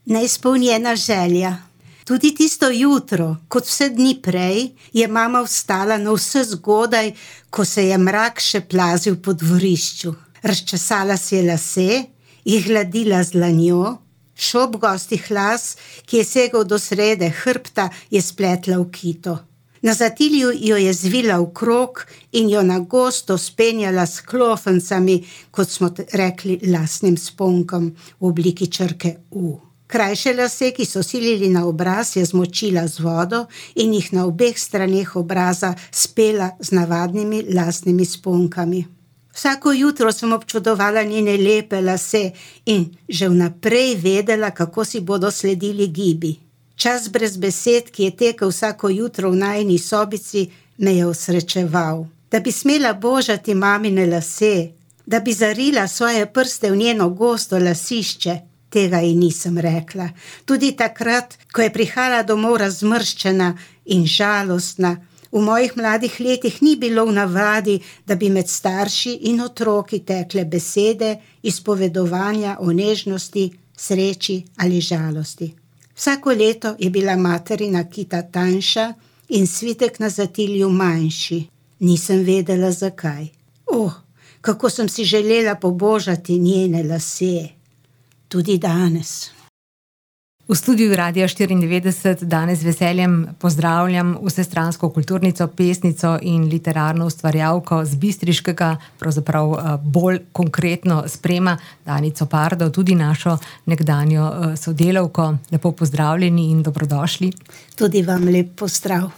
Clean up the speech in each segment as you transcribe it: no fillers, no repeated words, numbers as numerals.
Neizpolnjena želja. Tudi tisto jutro, kot vse dni prej, je mama vstala navse zgodaj, ko se je mrak še plazil po dvorišču. Razčesala si je lase, jih gladila z dlanjo, šop gostih las, ki je segal do srede hrbta, je spletla v kito. Na zatilju jo je zvila v krog in jo na gosto spenjala s klofencami, kot smo rekli, lasnim sponkom v obliki črke U. Krajše lase, ki so silili na obraz, je zmočila z vodo in jih na obeh straneh obraza spela z navadnimi lasnimi sponkami. Vsako jutro sem občudovala njene lepe lase in že vnaprej vedela, kako si bodo sledili gibi. Čas brez besed, ki je tekel vsako jutro v najini sobici, me je osrečeval. Da bi smela božati mamine lase, da bi zarila svoje prste v njeno gosto lasišče, tega ji nisem rekla. Tudi takrat, ko je prihajala domov razmrščena in žalostna, v mojih mladih letih ni bilo v navadi, da bi med starši in otroki tekle besede izpovedovanja o nežnosti, sreči ali žalosti. Vsako leto je bila materina kita tanjša in svitek na zatilju manjši. Nisem vedela, zakaj. Kako sem si želela pobožati njene lase. Tudi danes. V studiu Radia 94 danes z veseljem pozdravljam vsestransko kulturnico, pesnico in literarno ustvarjalko z bistriškega, pravzaprav bolj konkretno sprema, Danico Pardo, tudi našo nekdanjo sodelavko. Lepo pozdravljeni in dobrodošli. Tudi vam lep pozdrav.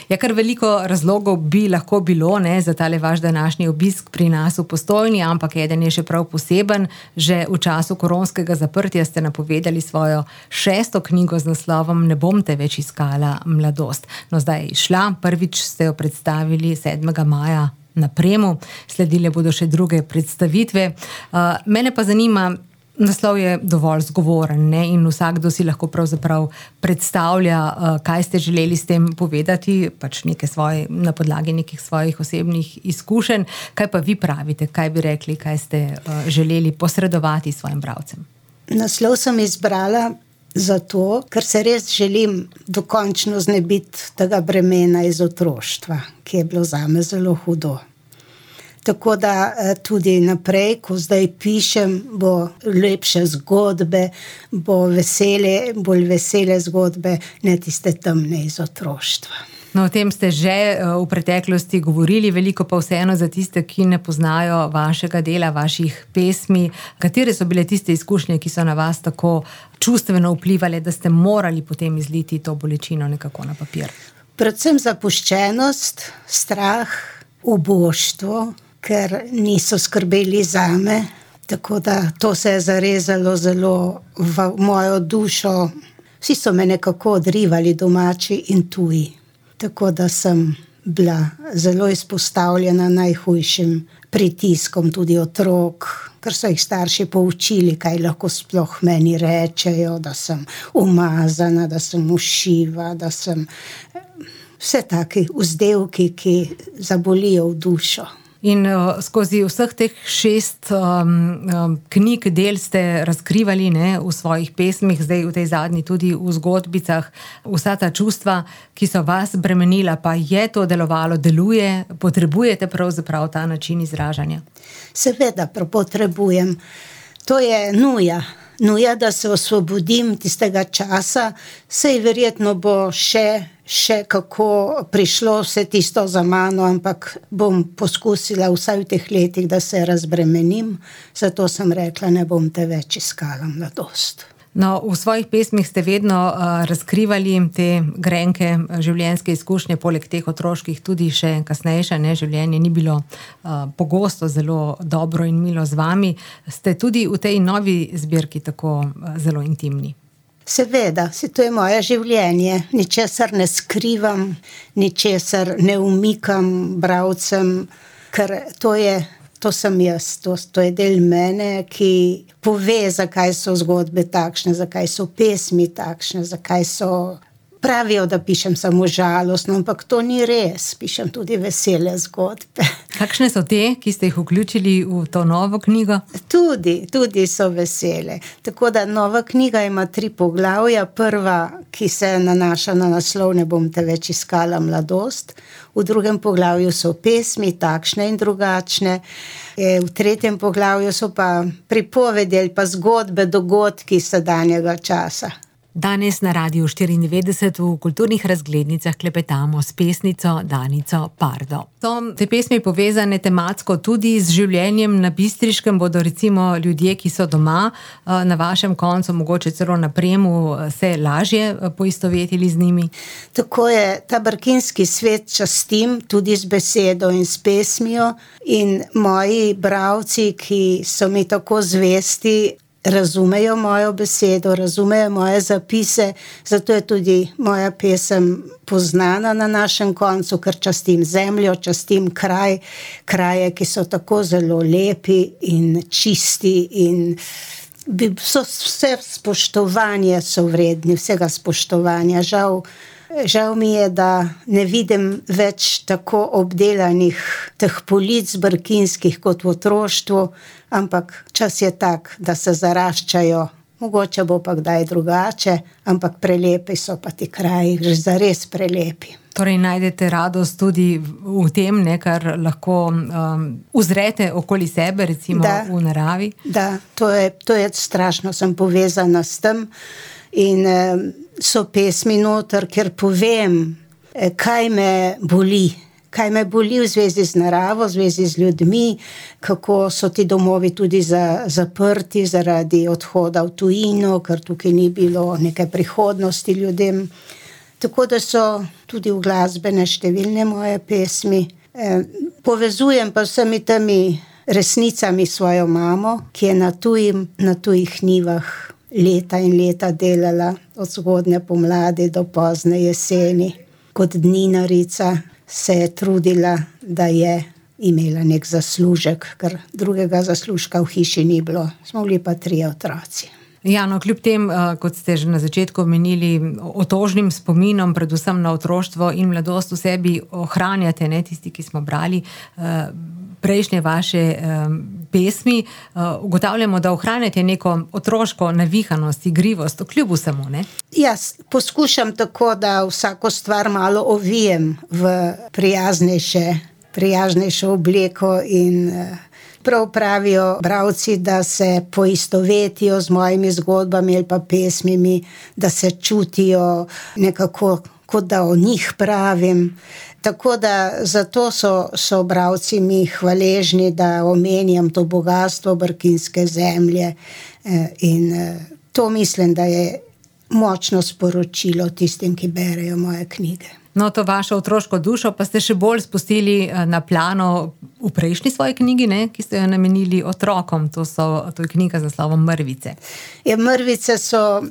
Ja, kar veliko razlogov bi lahko bilo, za tale vaš današnji obisk pri nas v Postojni, ampak eden je še prav poseben. Že v času koronskega zaprtja ste napovedali svojo 6. knjigo z naslovom Ne bom te več iskala, mladost. No, zdaj je izšla, prvič ste jo predstavili 7. maja na Premu, sledile bodo še druge predstavitve. Mene pa zanima, naslov je dovolj zgovoren, in vsakdo si lahko pravzaprav predstavlja, kaj ste želeli s tem povedati, pač na podlagi nekih svojih osebnih izkušenj. Kaj pa vi pravite, kaj bi rekli, kaj ste želeli posredovati svojim bralcem? Naslov sem izbrala zato, ker se res želim dokončno znebiti tega bremena iz otroštva, ki je bilo zame zelo hudo. Tako da tudi naprej, ko zdaj pišem, bo lepše zgodbe, bo bolj vesele zgodbe, ne tiste temne iz otroštva. No, o tem ste že v preteklosti govorili, veliko pa vseeno za tiste, ki ne poznajo vašega dela, vaših pesmi. Katere so bile tiste izkušnje, ki so na vas tako čustveno vplivali, da ste morali potem izliti to bolečino nekako na papir? Predvsem zapuščenost, strah, uboštvo, ker niso skrbeli zame, tako da to se je zarezalo zelo v mojo dušo. Vsi so me nekako odrivali, domači in tuji. Tako da sem bila zelo izpostavljena najhujšim pritiskom tudi otrok, ker so jih starši poučili, kaj lahko sploh meni rečejo, da sem umazana, da sem ušiva, da sem vse taki vzdevki, ki zabolijo v dušo. In skozi vseh teh 6 knjig del ste razkrivali v svojih pesmih, zdaj v tej zadnji tudi v zgodbicah, vsa ta čustva, ki so vas bremenila, pa je to delovalo, deluje, potrebujete pravzaprav ta način izražanja? Seveda potrebujem. To je nuja, da se osvobodim tistega časa, sej verjetno bo še kako prišlo vse tisto za mano, ampak bom poskusila vsaj v teh letih, da se razbremenim, zato sem rekla, ne bom te več iskala, mladost. No, v svojih pesmih ste vedno razkrivali te grenke življenjske izkušnje, poleg teh otroških tudi še kasnejše, življenje ni bilo pogosto zelo dobro in milo z vami. Ste tudi v tej novi zbirki tako zelo intimni? Seveda, to je moje življenje, ničesar ne skrivam, ničesar ne umikam bralcem, ker to sem jaz, to je del mene, ki pove, zakaj so zgodbe takšne, zakaj so pesmi takšne, zakaj so Pravijo, da pišem samo žalostno, ampak to ni res. Pišem tudi vesele zgodbe. Kakšne so te, ki ste jih vključili v to novo knjigo? Tudi so vesele. Tako da nova knjiga ima 3 poglavja. Prva, ki se nanaša na naslov Ne bom te več iskala mladost. V drugem poglavju so pesmi, takšne in drugačne. V tretjem poglavju so pa pripovedi ali pa zgodbe, dogodki sedanjega časa. Danes na Radiu 94 v kulturnih razglednicah klepetamo s pesnico Danico Pardo. So te pesmi povezane tematsko tudi z življenjem na Bistriškem, bodo recimo ljudje, ki so doma na vašem koncu, mogoče celo na Premu, se lažje poistovetili z njimi? Tako je, ta brkinski svet častim tudi z besedo in s pesmijo in moji bralci, ki so mi tako zvesti, razumejo mojo besedo, razumejo moje zapise, zato je tudi moja pesem poznana na našem koncu, ker častim zemljo, častim kraje, ki so tako zelo lepi in čisti in so vse spoštovanje so vredni, vsega spoštovanja. Žal mi je, da ne vidim več tako obdelanih teh polic brkinskih kot v otroštvu, ampak čas je tak, da se zaraščajo. Mogoče bo pa kdaj drugače, ampak prelepi so pa ti kraji, že zares prelepi. Torej najdete radost tudi v tem, kar lahko uzrete okoli sebe, recimo v naravi? Da, to je strašno, sem povezana s tem. In so pesmi noter, ker povem, kaj me boli v zvezi z naravo, v zvezi z ljudmi, kako so ti domovi tudi zaprti zaradi odhoda v tujino, ker tukaj ni bilo neke prihodnosti ljudem. Tako da so tudi uglasbene številne moje pesmi. Povezujem pa vsemi temi resnicami svojo mamo, ki je na tujih njivah leta in leta delala, od zgodnje pomladi do pozne jeseni. Kot dninarica se je trudila, da je imela nek zaslužek, ker drugega zaslužka v hiši ni bilo. Smo bili pa 3 otroci. Ja, no, kljub tem, kot ste že na začetku omenili, otožnim spominom, predvsem na otroštvo in mladost v sebi ohranjate, tisti, ki smo brali prejšnje vaše pesmi, ugotavljamo, da ohranjate neko otroško navihanost, igrivost, kljub vsemu, ne? Jaz poskušam tako, da vsako stvar malo ovijem v prijaznejšo obleko in prav pravijo bralci, da se poistovetijo z mojimi zgodbami ali pa pesmimi, da se čutijo nekako, kot da o njih pravim. Tako da zato so bralci mi hvaležni, da omenjam to bogatstvo brkinske zemlje in to mislim, da je močno sporočilo tistim, ki berejo moje knjige. No, to vašo otroško dušo pa ste še bolj spustili na plano v prejšnji svoji knjigi, ki ste jo namenili otrokom. To je knjiga z naslovom Mrvice. Ja, Mrvice so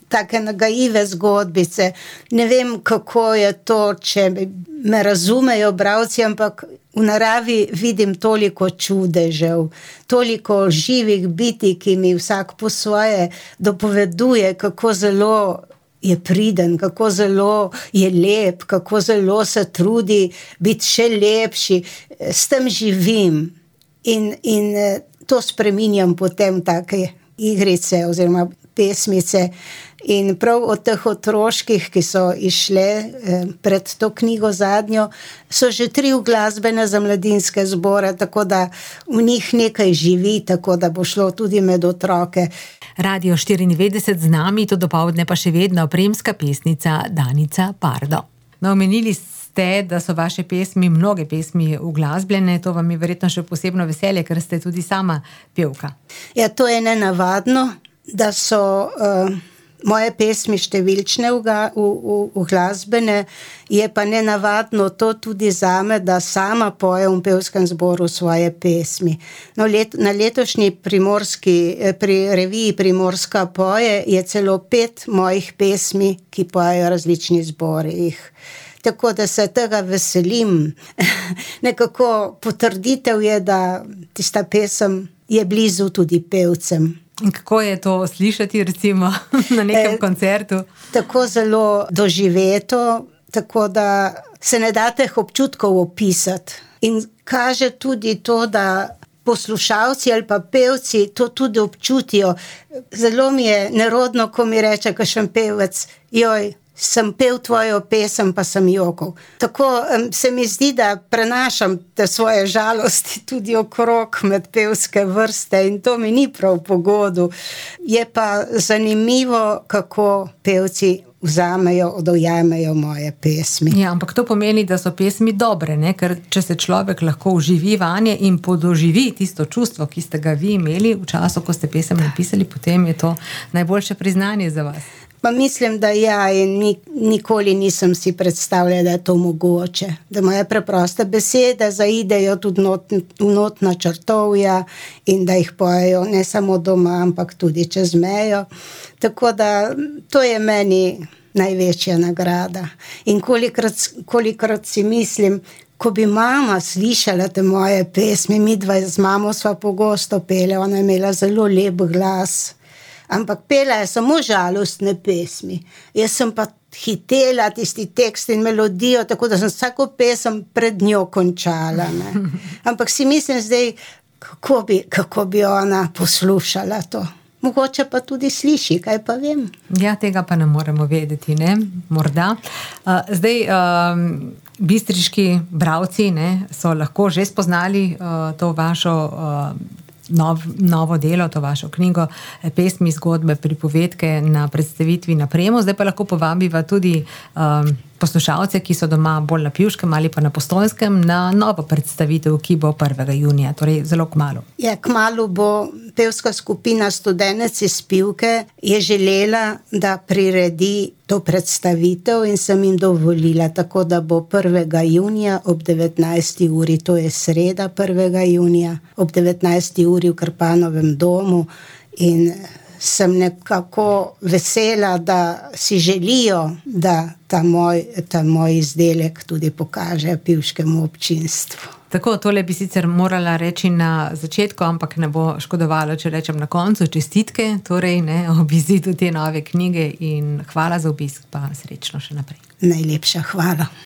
take nagajive zgodbice. Ne vem, kako je to, če me razumejo bralci, ampak v naravi vidim toliko čudežev, toliko živih bitij, ki mi vsak po svoje dopoveduje, kako zelo je priden, kako zelo je lep, kako zelo se trudi biti še lepši. S tem živim in to spreminjam potem take igrice oziroma pesmice. In prav od teh otroških, ki so išle pred to knjigo zadnjo, so že 3 uglasbene za mladinske zbore, tako da v njih nekaj živi, tako da bo šlo tudi med otroke. Radio 94 z nami, to dopoldne pa še vedno premska pesnica Danica Pardo. No, omenili ste, da so vaše pesmi, mnoge pesmi uglasbljene, to vam je verjetno še posebno veselje, ker ste tudi sama pevka. Ja, to je nenavadno, da so moje pesmi številčne uglasbene, je pa nenavadno to tudi zame, da sama pojem v pevskem zboru svoje pesmi. No, na letošnji reviji Primorska poje je celo 5 mojih pesmi, ki pojejo različni zbori. Tako da se tega veselim. Nekako potrditev je, da tista pesem je blizu tudi pevcem. In kako je to slišati recimo na nekem koncertu? Tako zelo doživeto, tako da se ne da teh občutkov opisati. In kaže tudi to, da poslušalci ali pa pevci to tudi občutijo. Zelo mi je nerodno, ko mi reče kakšen pevec, joj, sem pel tvojo pesem, pa sem jokal. Tako se mi zdi, da prenašam te svoje žalosti tudi okrog med pevske vrste in to mi ni prav po godu. Je pa zanimivo, kako pevci vzamejo, dojamajo moje pesmi. Ja, ampak to pomeni, da so pesmi dobre, ne? Ker če se človek lahko vživi vanje in podoživi tisto čustvo, ki ste ga vi imeli v času, ko ste pesem napisali, potem je to najboljše priznanje za vas. Pa mislim, da ja, in nikoli nisem si predstavljala, da je to mogoče. Da moje preproste besede zaidejo tudi v notna črtovja in da jih pojejo ne samo doma, ampak tudi čez mejo. Tako da to je meni največja nagrada. In kolikrat si mislim, ko bi mama slišala te moje pesmi, midva z mamo sva pogosto pele, ona je imela zelo lep glas. Ampak pela je samo žalostne pesmi. Jaz sem pa hitela tisti tekst in melodijo, tako da sem vsako pesem pred njo končala. Ne? Ampak si mislim zdaj, kako bi ona poslušala to. Mogoče pa tudi sliši, kaj pa vem. Ja, tega pa ne moremo vedeti, ne? Morda. Zdaj, bistriški bralci, ne, so lahko že spoznali to vašo novo delo, to vašo knjigo, pesmi, zgodbe, pripovedke na predstavitvi na Premu. Zdaj pa lahko povabiva tudi poslušalce, ki so doma bolj na Pivškem ali pa na Postojnskem, na novo predstavitev, ki bo 1. junija, torej zelo kmalu. Ja, kmalu bo pevska skupina Studenec iz Pivke je želela, da priredi to predstavitev in sem jim dovolila, tako da bo 1. junija ob 19. uri, to je sreda 1. junija, ob 19. uri v Krpanovem domu in sem nekako vesela, da si želijo, da ta moj izdelek tudi kaže pivškemu občinstvu. Tako, tole bi sicer morala reči na začetku, ampak ne bo škodovalo, če rečem na koncu. Čestitke, torej, ne, ob izidu te nove knjige in hvala za obisk, pa srečno še naprej. Najlepša hvala.